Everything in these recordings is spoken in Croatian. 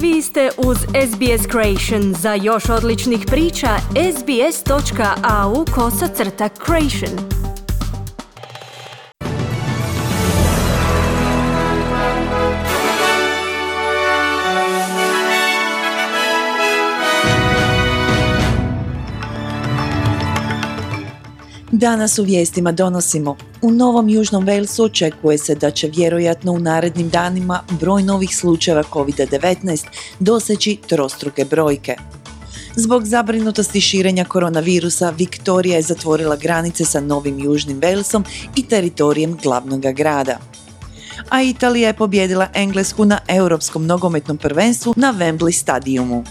Vi ste uz SBS Creation. Za još odličnih priča, sbs.au/creation. Danas u vijestima donosimo. U Novom Južnom Walesu očekuje se da će vjerojatno u narednim danima broj novih slučajeva COVID-19 doseći trostruke brojke. Zbog zabrinutosti širenja koronavirusa, Viktorija je zatvorila granice sa Novim Južnim Walesom i teritorijem glavnog grada. A Italija je pobijedila Englesku na Europskom nogometnom prvenstvu na Wembley stadiumu.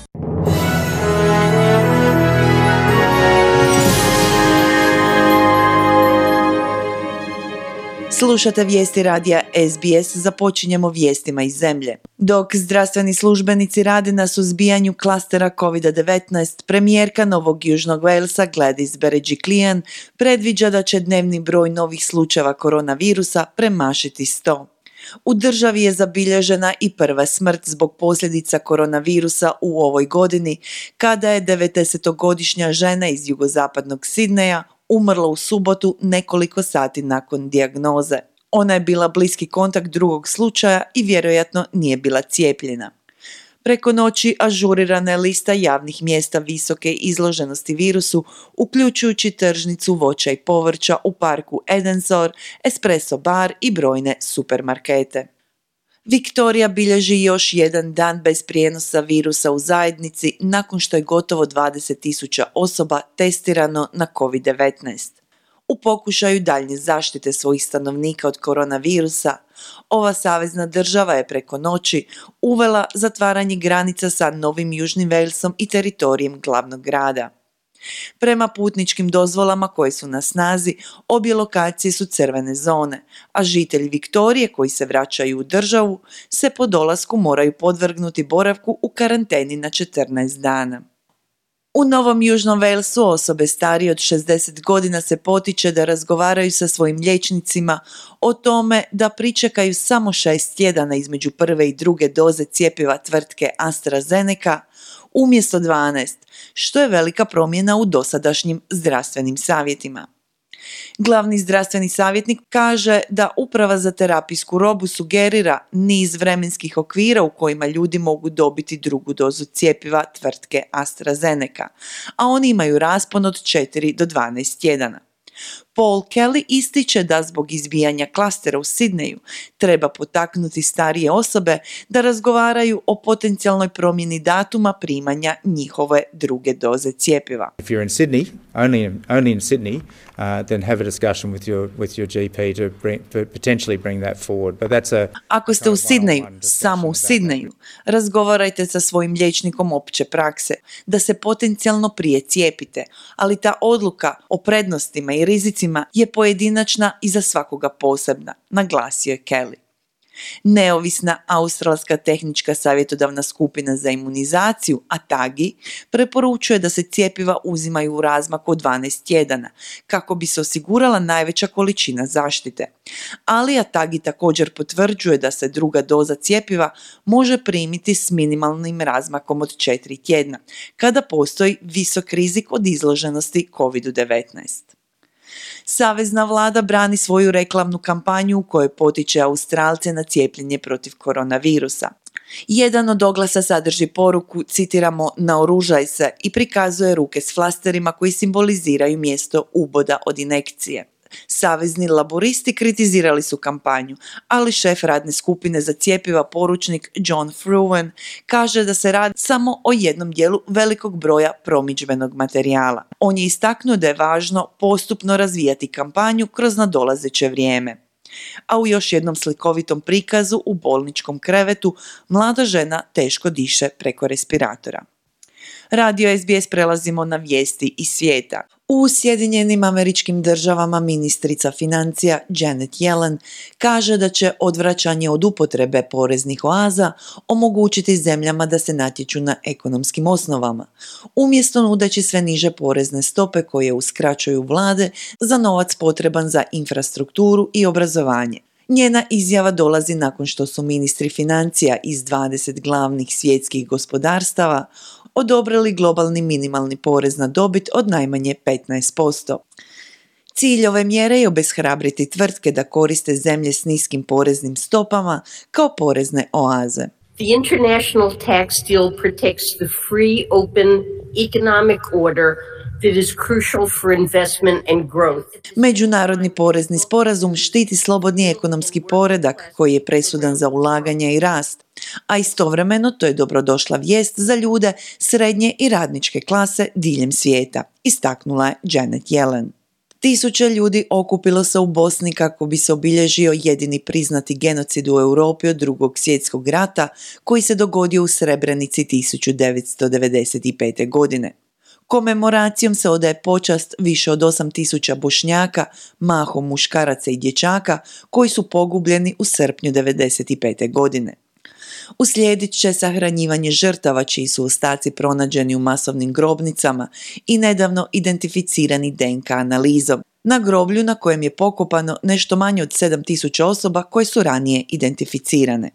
Slušate vijesti radija SBS, započinjemo vijestima iz zemlje. Dok zdravstveni službenici rade na suzbijanju klastera COVID-19, premijerka Novog Južnog Walesa Gladys Berejiklian predviđa da će dnevni broj novih slučajeva koronavirusa premašiti 100. U državi je zabilježena i prva smrt zbog posljedica koronavirusa u ovoj godini, kada je 90-godišnja žena iz jugozapadnog Sidneja umrla u subotu nekoliko sati nakon dijagnoze. Ona je bila bliski kontakt drugog slučaja i vjerojatno nije bila cijepljena. Preko noći ažurirana je lista javnih mjesta visoke izloženosti virusu, uključujući tržnicu voća i povrća u parku Edensor, espresso bar i brojne supermarkete. Viktorija bilježi još jedan dan bez prijenosa virusa u zajednici nakon što je gotovo 20.000 osoba testirano na COVID-19. U pokušaju daljnje zaštite svojih stanovnika od koronavirusa, ova savezna država je preko noći uvela zatvaranje granica sa Novim Južnim Walesom i teritorijem glavnog grada. Prema putničkim dozvolama koje su na snazi, obje lokacije su crvene zone, a žitelji Viktorije koji se vraćaju u državu se po dolasku moraju podvrgnuti boravku u karanteni na 14 dana. U Novom Južnom Walesu osobe starije od 60 godina se potiče da razgovaraju sa svojim liječnicima o tome da pričekaju samo 6 tjedana između prve i druge doze cjepiva tvrtke AstraZeneca umjesto 12, što je velika promjena u dosadašnjim zdravstvenim savjetima. Glavni zdravstveni savjetnik kaže da Uprava za terapijsku robu sugerira niz vremenskih okvira u kojima ljudi mogu dobiti drugu dozu cjepiva tvrtke AstraZeneca, a oni imaju raspon od 4 do 12 tjedana. Paul Kelly ističe da zbog izbijanja klastera u Sidneju treba potaknuti starije osobe da razgovaraju o potencijalnoj promjeni datuma primanja njihove druge doze cjepiva. If you're in Sydney, only in Sydney, then have a discussion with your GP to potentially bring that forward. But that's a Ako ste u Sidneju, samo u Sidneju, razgovarajte sa svojim liječnikom opće prakse da se potencijalno prije cijepite, ali ta odluka o prednostima i rizicima je pojedinačna i za svakoga posebna, naglasio je Kelly. Neovisna australska tehnička savjetodavna skupina za imunizaciju, ATAGI, preporučuje da se cjepiva uzimaju u razmaku od 12 tjedana, kako bi se osigurala najveća količina zaštite. Ali ATAGI također potvrđuje da se druga doza cjepiva može primiti s minimalnim razmakom od 4 tjedna, kada postoji visok rizik od izloženosti COVID-19. Savezna vlada brani svoju reklamnu kampanju u kojoj potiče Australce na cijepljenje protiv koronavirusa. Jedan od oglasa sadrži poruku, citiramo, naoružaj se i prikazuje ruke s flasterima koji simboliziraju mjesto uboda od injekcije. Savezni laboristi kritizirali su kampanju, ali šef radne skupine za cjepiva poručnik John Fruin kaže da se radi samo o jednom dijelu velikog broja promidžbenog materijala. On je istaknuo da je važno postupno razvijati kampanju kroz nadolazeće vrijeme. A u još jednom slikovitom prikazu u bolničkom krevetu mlada žena teško diše preko respiratora. Radio SBS prelazimo na vijesti iz svijeta. U Sjedinjenim Američkim Državama ministrica financija Janet Yellen kaže da će odvraćanje od upotrebe poreznih oaza omogućiti zemljama da se natječu na ekonomskim osnovama, umjesto nudeći sve niže porezne stope koje uskraćuju vlade za novac potreban za infrastrukturu i obrazovanje. Njena izjava dolazi nakon što su ministri financija iz 20 glavnih svjetskih gospodarstava odobrili globalni minimalni porez na dobit od najmanje 15%. Cilj ove mjere je obeshrabriti tvrtke da koriste zemlje s niskim poreznim stopama kao porezne oaze. The international tax deal protects the free, open economic order that is crucial for investment and growth. Međunarodni porezni sporazum štiti slobodni ekonomski poredak koji je presudan za ulaganja i rast, a istovremeno to je dobrodošla vijest za ljude srednje i radničke klase diljem svijeta, istaknula je Janet Yellen. Tisuće ljudi okupilo se u Bosni kako bi se obilježio jedini priznati genocid u Europi od Drugog svjetskog rata koji se dogodio u Srebrenici 1995. godine. Komemoracijom se odaje počast više od 8.000 Bošnjaka, mahom muškaraca i dječaka, koji su pogubljeni u srpnju 1995. godine. Uslijedit će sahranjivanje žrtava čiji su ostaci pronađeni u masovnim grobnicama i nedavno identificirani DNK analizom. Na groblju na kojem je pokopano nešto manje od 7.000 osoba koje su ranije identificirane.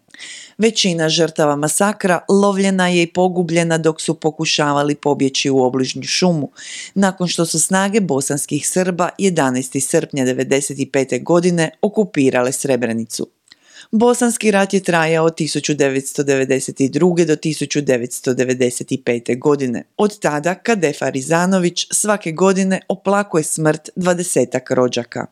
Većina žrtava masakra lovljena je i pogubljena dok su pokušavali pobjeći u obližnju šumu, nakon što su snage bosanskih Srba 11. srpnja 1995. godine okupirale Srebrenicu. Bosanski rat je trajao od 1992. do 1995. godine. Od tada Kadefa Rizanović svake godine oplakuje smrt 20-ak rođaka.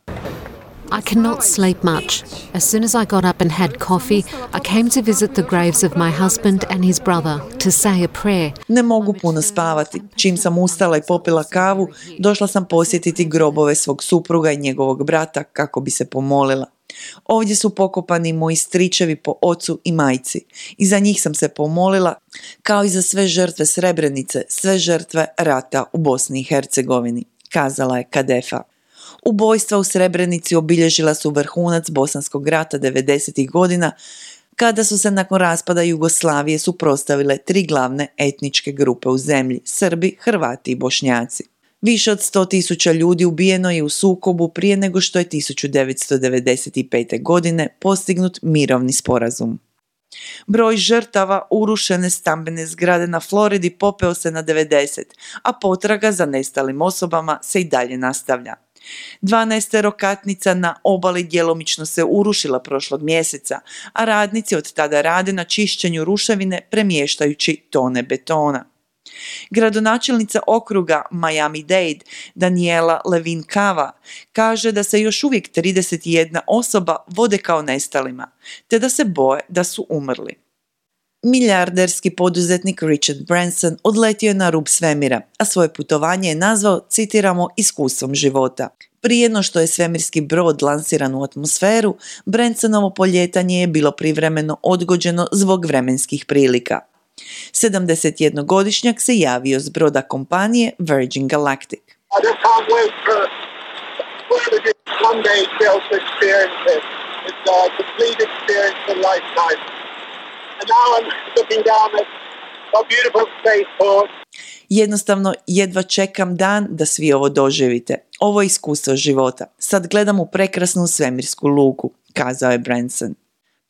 I cannot sleep much. As soon as I got up and had coffee, I came to visit the graves of my husband and his brother to say a prayer. Ne mogu puno spavati. Čim sam ustala i popila kavu, došla sam posjetiti grobove svog supruga i njegovog brata kako bi se pomolila. Ovdje su pokopani moji stričevi po ocu i majci i za njih sam se pomolila, kao i za sve žrtve Srebrenice, sve žrtve rata u Bosni i Hercegovini, kazala je Kadefa. Ubojstva u Srebrenici obilježila su vrhunac Bosanskog rata 90. godina, kada su se nakon raspada Jugoslavije suprotstavile 3 glavne etničke grupe u zemlji, Srbi, Hrvati i Bošnjaci. Više od 100.000 ljudi ubijeno je u sukobu prije nego što je 1995. godine postignut mirovni sporazum. Broj žrtava urušene stambene zgrade na Floridi popeo se na 90, a potraga za nestalim osobama se i dalje nastavlja. 12 na obali djelomično se urušila prošlog mjeseca, a radnici od tada rade na čišćenju ruševine premještajući tone betona. Gradonačelnica okruga Miami-Dade Daniela Levin Cava kaže da se još uvijek 31 osoba vode kao nestalima, te da se boje da su umrli. Milijarderski poduzetnik Richard Branson odletio je na rub svemira, a svoje putovanje je nazvao, citiramo, iskustvom života. Prije no što je svemirski brod lansiran u atmosferu, Bransonovo poljetanje je bilo privremeno odgođeno zbog vremenskih prilika. 71-godišnjak se javio s broda kompanije Virgin Galactic. Jednostavno, jedva čekam dan da svi ovo doživite. Ovo je iskustvo života. Sad gledam u prekrasnu svemirsku luku, kazao je Branson.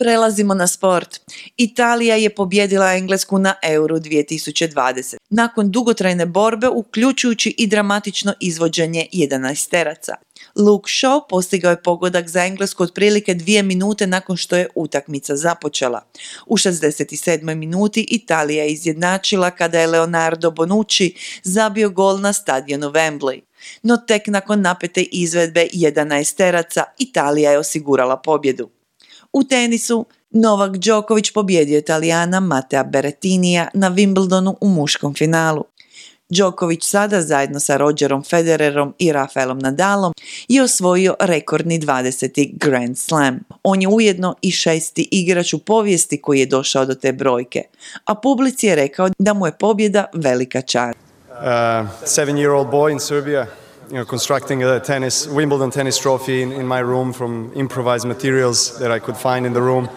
Prelazimo na sport. Italija je pobijedila Englesku na Euro 2020. Nakon dugotrajne borbe, uključujući i dramatično izvođenje 11-teraca. Luke Shaw postigao je pogodak za Englesku otprilike 2 minute nakon što je utakmica započela. U 67. minuti Italija je izjednačila kada je Leonardo Bonucci zabio gol na stadionu Wembley. No tek nakon napete izvedbe 11-teraca Italija je osigurala pobjedu. U tenisu, Novak Đoković pobjedio Italijana Matea Berrettinija na Wimbledonu u muškom finalu. Đoković sada zajedno sa Rogerom Federerom i Rafaelom Nadalom je osvojio rekordni 20. Grand Slam. On je ujedno i 6. igrač u povijesti koji je došao do te brojke, a publici je rekao da mu je pobjeda velika čast. 7-year-old boy in Serbia, constructing a Wimbledon tennis trophy in my room from improvised materials that I could find in the room.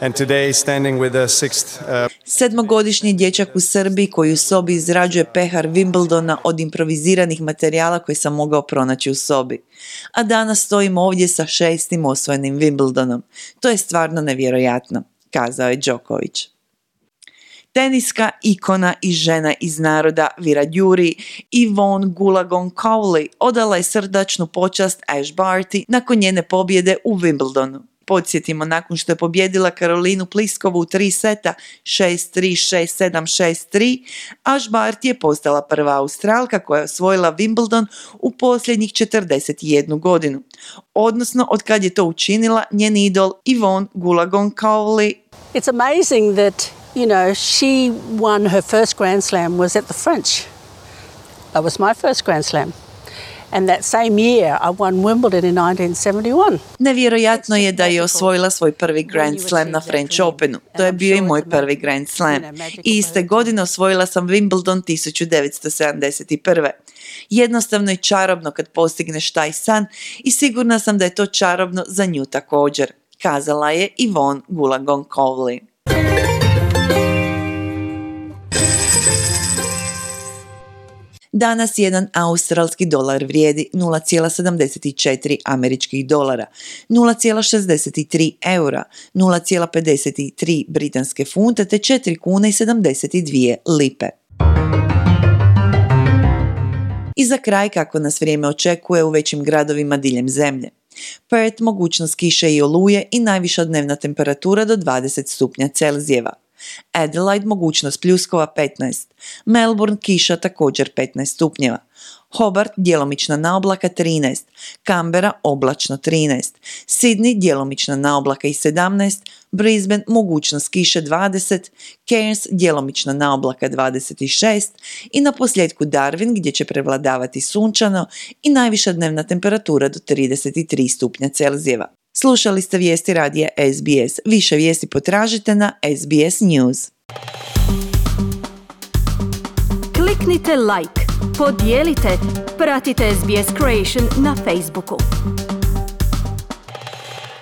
And today standing with the sixth Sedmogodišnji dječak u Srbiji koji u sobi izrađuje pehar Wimbledona od improviziranih materijala koje sam mogao pronaći u sobi. A danas stojim ovdje sa 6. osvojenim Wimbledonom. To je stvarno nevjerojatno, kazao je Djokovic. Teniska ikona i žena iz naroda Wiradjuri Yvonne Goolagong-Cowley odala je srdačnu počast Ash Barty nakon njene pobjede u Wimbledonu. Podsjetimo, nakon što je pobjedila Karolinu Pliskovu u 3 seta 6-3, 6-7, 6-3, Ash Barty je postala prva Australka koja je osvojila Wimbledon u posljednjih 41 godinu. Odnosno, od kad je to učinila njen idol Yvonne Goolagong-Cowley. It's amazing that, you know, she won her first Grand Slam was at the French. That was my first Grand Slam. And that same year I won Wimbledon in 1971. Nevjerojatno je da je osvojila svoj prvi Grand Slam na French Openu. To je bio i moj prvi Grand Slam. I iste godine osvojila sam Wimbledon 1971. Jednostavno je čarobno kad postigneš taj san i sigurna sam da je to čarobno za nju također, kazala je Yvonne Goolagong-Cowley. Danas jedan australski dolar vrijedi 0,74 američkih dolara, 0,63 eura, 0,53 britanske funte te 4 kune i 72 lipe. I za kraj kako nas vrijeme očekuje u većim gradovima diljem zemlje. Perth mogućnost kiše i oluje i najviša dnevna temperatura do 20 stupnja Celzijeva. Adelaide mogućnost pljuskova 15, Melbourne kiša također 15 stupnjeva, Hobart djelomična naoblaka 13, Canberra oblačno 13, Sydney djelomična naoblaka i 17, Brisbane mogućnost kiše 20, Cairns djelomična naoblaka 26 i na posljedku Darwin gdje će prevladavati sunčano i najviša dnevna temperatura do 33 stupnja Celzijeva. Slušali ste vijesti radija SBS. Više vijesti potražite na SBS News. Kliknite like, podijelite, pratite SBS Creation na Facebooku.